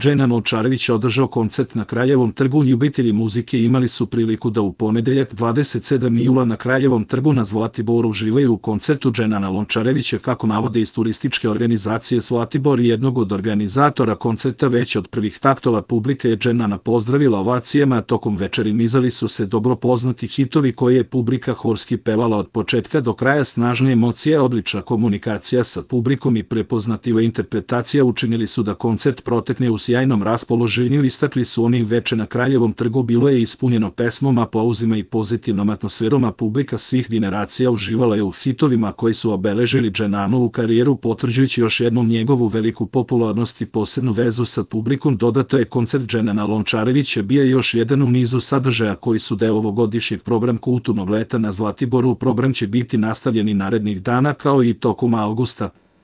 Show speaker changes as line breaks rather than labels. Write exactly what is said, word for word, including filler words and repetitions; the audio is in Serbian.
Dženan Lončarević održao koncert na Kraljevom trgu. Ljubitelji muzike imali su priliku da u ponedeljak dvadeset sedmog jula na Kraljevom trgu na Zlatiboru uživaju u koncertu Dženana Lončarevića, kako navode iz turističke organizacije Zlatibor i jednog od organizatora koncerta. Već od prvih taktova publika je Dženana pozdravila ovacijama, a tokom večeri nizali su se dobro poznati hitovi koje je publika horski pevala od početka do kraja. Snažne emocije, odlična komunikacija sa publikom i prepoznatljiva interpretacija učinili su da koncert protekne u sjajnom raspoloženju. Istakli su oni: veče na Kraljevom trgu bilo je ispunjeno pesmom, aplauzima i pozitivnom atmosferom, a publika svih generacija uživala je u hitovima koji su obeležili Dženanovu karijeru, potvrđujući još jednom njegovu veliku popularnost i posebnu vezu sa publikom. Dodato je: koncert Dženana Lončarevića bio je još jedan u nizu sadržaja koji su deo ovogodišnjeg programa kulturnog leta na Zlatiboru. Program će biti nastavljen i narednih dana kao i tokom avgusta.